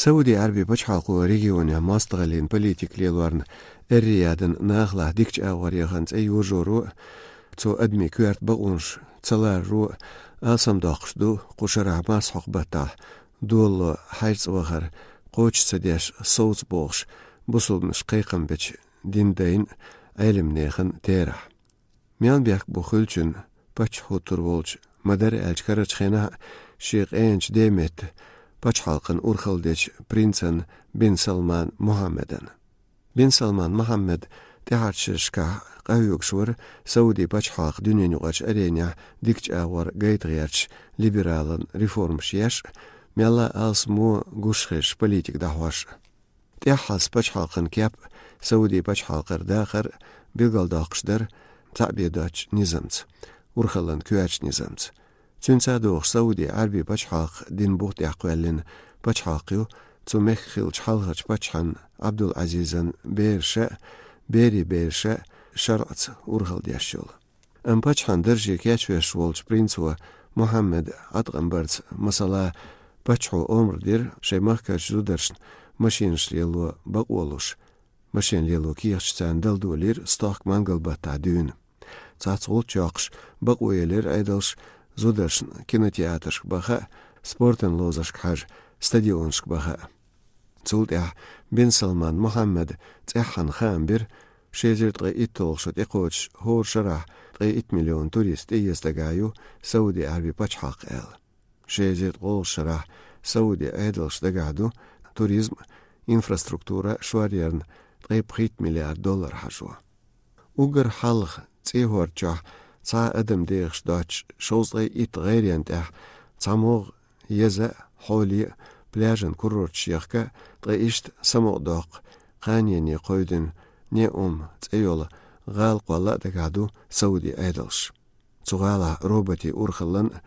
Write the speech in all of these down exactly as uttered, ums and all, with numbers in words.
Сауди Ӏарбийн пачхьалкхо регионехь мостагӀаллин политика лелорна Эр-Риядан нахалахь дикачу агӀор яхана цӀе йожоро, цо адамийн коьрта бакъонаш ца лараро алсамдоккхуш ду кху шарахь марсхьокху баттахь долало хьаьжцӀа вахар кхочуш ца деш совца бохуш, бусулбанаш кхайкхам бечу дин дайн Ӏелам нехан терахь. Мел бехк бу хуьлучун паччахь хӀуттур волчу, ма-дарра аьлча карарчу хенахь а шен къеначу ден метта пачхьалкхан урхалла дечу принцан Бин Салман Мухьаммадан. Бин Салман Мухьаммад тӀаьхьарчу шерашкахь къахьоьгуш вара Сауди пачхьалкх дуьненан юкъарчу аренехь дикачу агӀор гайта гӀерташ, либералан реформаш еш а, мелла а алсамо гуш хезаш политика дӀахьош а. ТӀаьххьалц пачхьалкхан кеп Сауди пачхьалкхара дахар билгалдоккхуш дара цхьаъ бен доцучу низамца, урхаллан коьртачу низамца. Цуьнца догӀуш Сауди Ӏарбийн пачхьалкх дин бух тӀехь кхоьллина пачхьалкх ю, цу мехкан хиллачу хьалхарчу паччахьан Ӏабдул-Ӏазизан бераша а, берийн бераша а шарӀаца урхалла деш йолу. Амма паччахьан дарже кечвеш волчу принцо Мухьаммад Ӏаткъам барца, масала, паччахьо омра дира шайн махкарчу зударшна машинаш лело бакъо луш, машен лело кехаташ царна дала долийра стохка мангал-баттахь дуьйна. Цхьацца гӀулч йоккхуш, бакъо елира Ӏедалш зударшна кинотеатрашка баха а, спортан ловзаршка хьажа, стадионашка баха а. Цул тӀаьхьа Бин Салман Мухьаммада цӀеххьана хаам бира, ши эзар ткъе итталгӀа шо тӀекхочуш хӀора шарахь ткъе итт миллион турист тӀеэца дагахь ю Сауди Ӏарбийн пачхьалкх аьлла. Ши эзар ткъолгӀа шарахь Сауди Ӏедалша дагахь ду туризм, инфраструктура шоръярна ткъе пхийтта миллиард доллар хьажо. Уггар хьалха цӀе хӀорда чохь цхьа а адам дехаш доцуш, шовзткъе итт гӀайренна тӀехь цхьамогӀа еза а, хьоле а пляжан курорташ яхка, ткъа иштта самукъадоккху кханене кхойдина Неум цӀе йолу гӀала кхолла а дагахь ду Сауди Ӏедалша. Цу гӀалахь роботийн урхаллан а,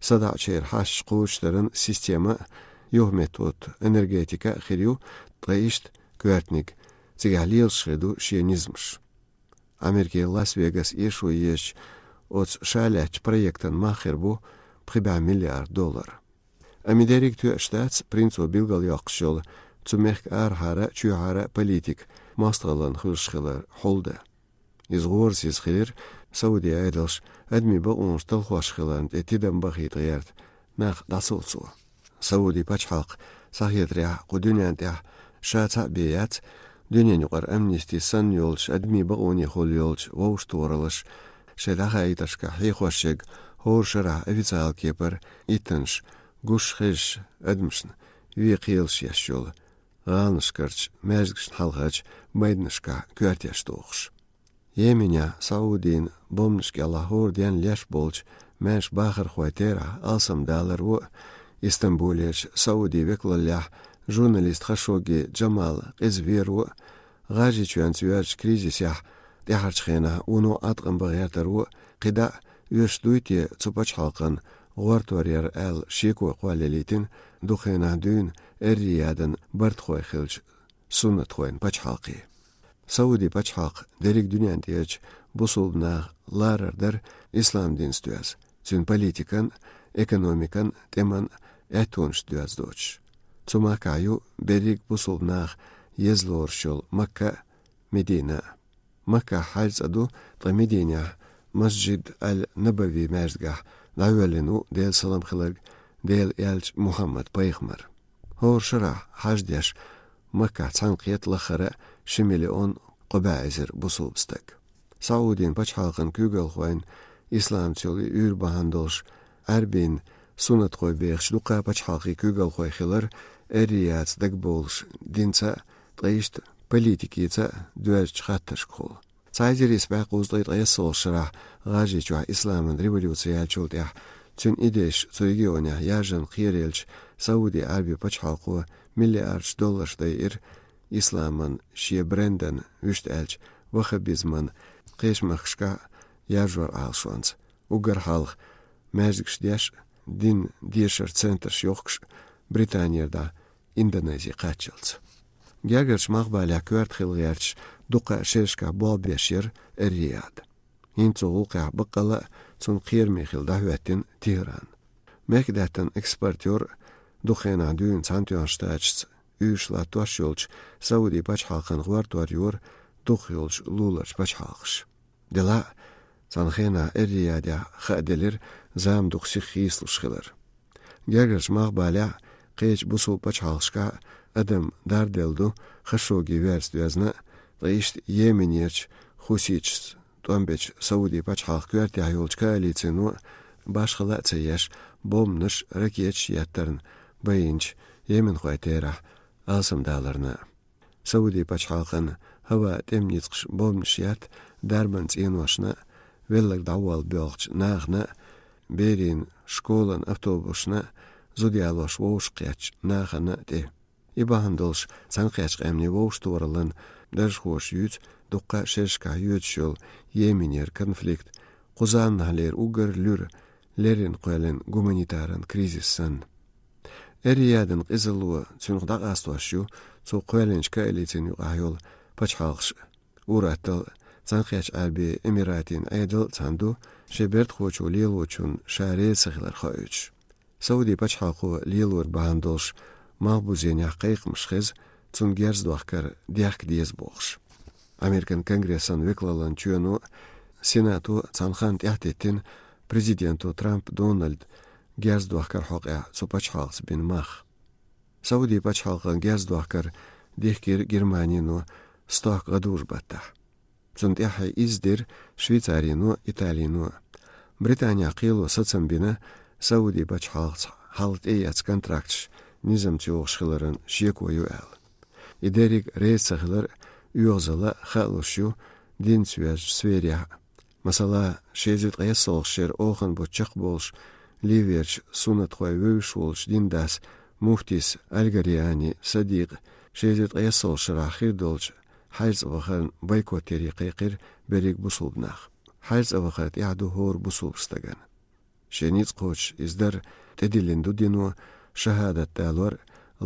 садаӀачеран хьашташ кхочушдаран система а, юхаметтахӀотта энергетика а хир ю, ткъа иштта коьртаниг, цигахь лелаш хир ду шен низамаш. Америкин Лас-Вегас эшо езачу оцу ша лаьттачу проектан мах хир бу пхи бӀе миллиард доллар. Амма и дерриг тоьаш дац, принцо билгалйоккхуш йолу цу мехкан арахьара а, чоьхьара а политика мостагӀаллан хуьлуш хилар хьулдан. Иза гӀорасиз хилира Сауди Ӏедалш адамийн бакъонаш талхош хиларна тӀе тидам бахийта гӀерта нах дӀасовцо. Сауди пачхьалкх схьахетарехь кху дуьнен тӀехь ша цхьаъ бен яц, дуьненан юкъара амнисти санна йолчу адамийн бакъонехула йолчу вовшахтохараллаш шайн дӀахаийтаршкахь хьехош ерг хӀора шарахь официалан кепара иттанаш гуш хезаш адамашна вен кхелаш еш йолу гӀаланашкарчу маьждигашна хьалхарчу майданашкахь коьртеш дохуш. Йеменехь Саудин бомбанаш кӀелахь хӀора денна леш болчу маьрша бахархойн терахь алсамдаларо а, Истанбулерчу Сауди векалаллехь журналист Хашогги Джамал къиза веро а, ГӀажарийчоьнца йоьрзучу кризисехь тӀаьхьарчу хенахь вуно Ӏаткъам бан гӀертаро а, кхидӀа а оьшуш дуй те цу пачхьалкхан гӀортор яр аьлла шеко кхоллаялийтина дукха хенахь дуьйна Эр-Риядан бартахой хиллачу суннатхойн пачхьалкхе. Сауди пачхьалкх дерриг дуьнен тӀерачу бусулба наха ларар дара ислам динца доьзна, цуьнан политикан, экономикан, тӀеман аьттонаш доьзна доцуш. Цу махкахь ю берриг бусулба наха еза лоруш йолу Макка а, Медина а. Маккахь хьаьжцӀа ду, ткъа Мединехь Масджид аль-Набави маьждигахь дӀайоьллина ву, Делан салам хиларг, Делан элча Мухьаммад-пайхамар. ХӀора шарахь хьаьж деш Маккахь цхьаьна кхета лаххара ши миллион кхо бӀе эзар бусулба стаг. Саудин пачхьалкхан куьйгалхойн исламца йолу уьйр бахьана долуш Ӏаьрбийн суннатхой бехачу дуккха пачхьалкхийн куьйгалхой хилар Эр-Рияда дагабовлуш динца а, ткъа иштта политикица а доьзначу хаттаршкахула. Цхьа эзар исс бӀе кхузткъе ткъайоьсналгӀачу шарахь ГӀажарийчохь исламан революци яьллачул тӀаьхьа цуьнан идеяш цу регионехь яржана кхеръелча, Сауди Ӏаьрбийн пачхьалкхо миллиардаш долларш дайира исламан шен брендан, вуьшта аьлча, ваххабизман, кхечу махкашкахь яржор Ӏалашонца. Уггар хьалха маьждигаш деш а, дин дешаран центраш йохкуш а Британера дӀа Индонези кхаччалц. Гергарчу малхбалехь коьрта хила гӀерташ дуккха а шерашкахь болх беш яра Эр-Рияд. ХӀинца цу гӀуллакхехь баккъалла а цунна кхераме хила дӀахӀоьттина Тегьран. Мехкдаьттан экспортёр а, дукха хенахь дуьйна Цхьаьнатоьхначу Штаташца уьйш латтош йолчу Сауди пачхьалкхан гӀортор йора дукхах йолчу луларчу пачхьалкхаша. Делахь а, цхьана хенахь Эр-Риядехь хаа делира зама дукха сиха хийцалуш хилар. Гергарчу малхбалехь а, кхечу бусулба пачхьалкхашкахь а адам дарделла ду, хашогий верца доьзна а, ткъа иштта Йеменерчу хуситашца тӀом бечу Сауди пачхьалкхан коьртехь йолчу коалицино а башхалла а ца еш, бомбанаш, ракеташ еттарна байинчу йеменхойн терахь алсамдаларна а. Сауди пачхьалкхан хӀаваан тӀеман ницкъаша бомбанаш етта дарбан цӀеношна а, велларг дӀаволла боьлхучу нахана а, берийн школан автобусашна а, зуда ялош вовшахкхеттачу нахана а тӀе. И бахьана долуш цхьаьнакхеттачу къаьмнийн вовшахтохараллин даржхоша юьйцу дуккха а шерашкахь йоьдуш йолу Йеменера конфликт, кху заманахьлера уггар луьра леррина кхоьллина гуманитаран кризис санна. Эр-Риядан къизалло цуьнах дӀакъастош ю цо кхоьллинчу коалицин юкъахь йолу пачхьалкхаш а. Ур-атталла Цхьаьнакхеттачу Ӏаьрбийн Эмиратийн Ӏедал а цхьаьна ду, шен бертахочо лелочунна ша реза ца хилар хоуьйтуш. Сауди пачхьалкхо лелоран бахьана долуш малхбузенехь кхайкхамаш хеза, цунна герз дохкар дехка деза бохуш. Американ Конгрессан векалаллин чоьно а, Сенато а цхьана ханна тӀаьхьатеттина президенто Трамп Дональда герз дохкар хьокъехь цу пачхьалкхаца бина мах. Сауди пачхьалкхан герз дохкар дихкира Германино стохка гӀадужу баттахь. Цунна тӀаьхье изза дира Швейцарино а, Италино а. Британехь кхело сацам бина, Сауди пачхьалкхаца хьалха тӀеэцна контракташ низамца йогӀуш хиларан шеко ю аьлла. И дерриг а реза ца хилар а, оьгӀазалла а хаалуш ю динца йоьзначу сферехь а. Масала, ши эзар ткъаесналгӀачу шеран оханан бутт чекхболуш Ливерчу суннатхой вевзаш волчу дин дас муфтис Аль-Гариани Садикъа ши эзар ткъаесналгӀачу шарахь хир долчу хьаьж цӀа вахарна бойкот яре кхайкхира берриг бусулба нах. Хьаьж цӀа вахар тӀехь ду хӀора бусулба стагана. Шен ницкъ кхочуш иза дар тӀедиллина ду дино шахӀадат далор а,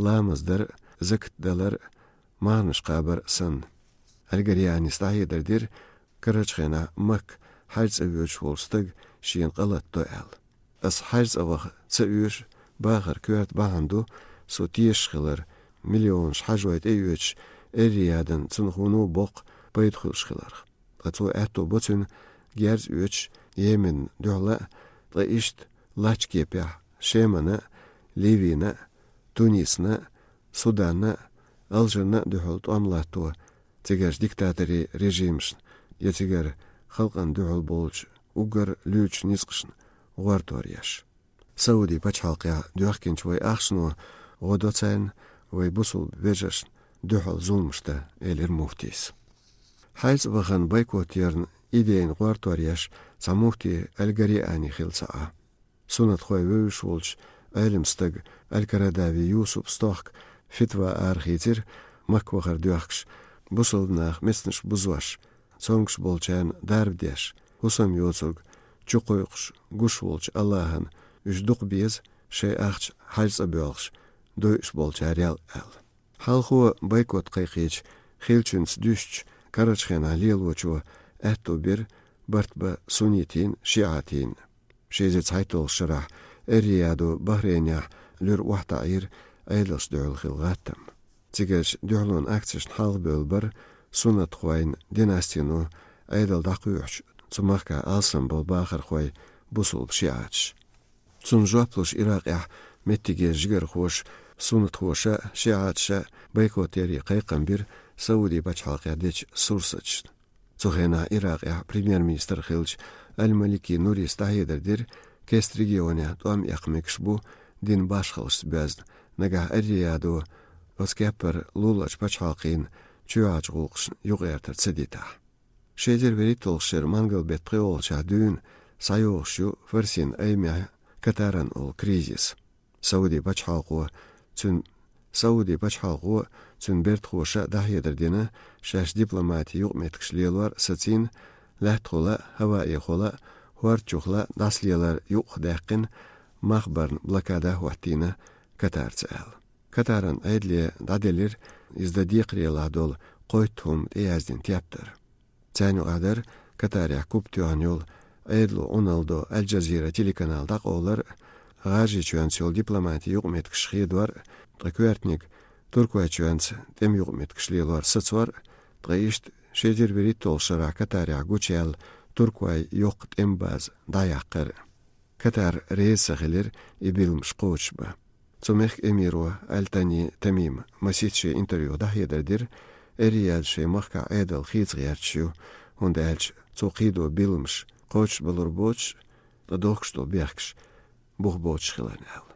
ламаз дар а, закат далар а, марханаш кхабар а санна. Аль-Гарианис дӀахьедар дира, карарчу хенахь Макка хьаьж цӀа воьдуш волу стаг шена къа латадо аьлла. Ас хьаьж цӀа ваха ца оьшу бахаран коьрта бахьана ду со тешаш хилар, миллионаш хьаьжой тӀеоьцуш Эр-Риядан цунах вуно боккха пайда хуьлуш хиларх. Ткъа цо аьтто бо цуьнан герз оьцуш Йеменна дуьхьал а, ткъа иштта латтачу кепехь Шемана а, Ливина а, Тунисна а, Судана а, Алжирна а дуьхьал тӀом латто, цигарчу диктаторийн режимашна я цигара халкъана дуьхьал болчу уггар луьйчу ницкъашна гӀортор еш. Сауди пачхьалкхехь доьхкинчу вай ахчано гӀо до царна вай бусулба вежаршна дуьхьал зуламаш дан, элира муфтис. Хьаьж цӀа вахарна бойкот ярна идейна гӀортор еш цхьа муфти Аль-Гариани хилла ца Ӏа. Суннатхой вевзаш волчу Ӏелам стага Аль-Карадави Юсупа стохка фитва арахийцира, Макка вахар доьхкуш, бусулба наха мецнаш бузош, цомгуш болчарна дарба деш, хӀусам йоцург чукхойкхуш гуш волчу АллахӀана уьш дукха беза, шайн ахча хьаьж цӀа боьлхуш дойуш болчарел аьлла. Хьалхо бойкот кхайкхийча хиллачуьнца дуьстича, карарчу хенахь лелочо аьтто бира барт бан суннитийн, шиӀатийн. Ши эзар цхьайтталгӀачу шарахь Эр-Риядо Бахрейнехь луьра охьатаӀийра Ӏедалшна дуьхьал хилла гӀаттам. Цигарчу дуьхьалонан акцешна хьалхабевлла бара суннатхойн династино Ӏедал дӀакхоьхьучу цу махкахь алсам болу бахархой, бусулба шиӀаташ. Цунна жоп луш Иракъехь меттигерчу жигархоша, суннатхоша а, шиӀаташа а бойкот яре кхайкхам бира Сауди пачхьалкхехь дечу сурсаташна. Цу хенахь Иракъехь премьер-министр хиллачу Аль-Малики Нурис дӀахьедар дира, кеста регионехь тӀом эккха мегаш бу динан башхаллашца боьзна, нагахь Эр-Риядо оцу кеппара луларчу пачхьалкхийн чоьхьарчу гӀуллакхашна юкъаэртар ца дитахь. Ши эзар вуьрхӀитталгӀачу шеран мангал беттан пхоьалгӀачохь дуьйна схьайогӀуш ю фарсийн аймехь Катаран олу кризис. Сауди пачхьалкхо цуьнан, Сауди пачхьалкхо цуьнан бертахоша дӀахьедар дина, шаьш дипломатин юкъаметтигаш лелор а сацийна, лаьттахула а, хӀаваэхула а, хӀорда чухула а дӀасалелар юкъахдаьккхина, мах барна блокада а хӀоттийна Катарца аьлла. Катаран Ӏедале дӀаделира иза дан декхарийлахь долу кхойтта хӀума тӀеяздина тептар. Царна юкъахь дара Катарехь куп тоьхна йолу Ӏедало Ӏуналла до Аль-Джазира телеканал дӀакъовлар а, ГӀажарийчоьнца йолу дипломатин юкъаметтигаш хедор а, ткъа коьртаниг Туркойчоьнца тӀеман юкъаметтигаш лелор сацор, ткъа иштта ши эзар вуьрхӀитталгӀачу шарахь Катарехь гучуяьлла туркойн йоккха тӀеман база дӀаяккхар. Катар реза ца хилира и билламаш кхочушбан. Цу мехкан эмиро Аль-Тани Тамима масех шен интервьюхь дӀахьедар дира, Эр-Рияд шайн махкахь Ӏедал хийца гӀерташ ю, хӀунда аьлча цо кхийдо билламаш кхочушбалур боцуш, ткъа дохкуш долу бехкаш бух боцуш хиларна аьлла.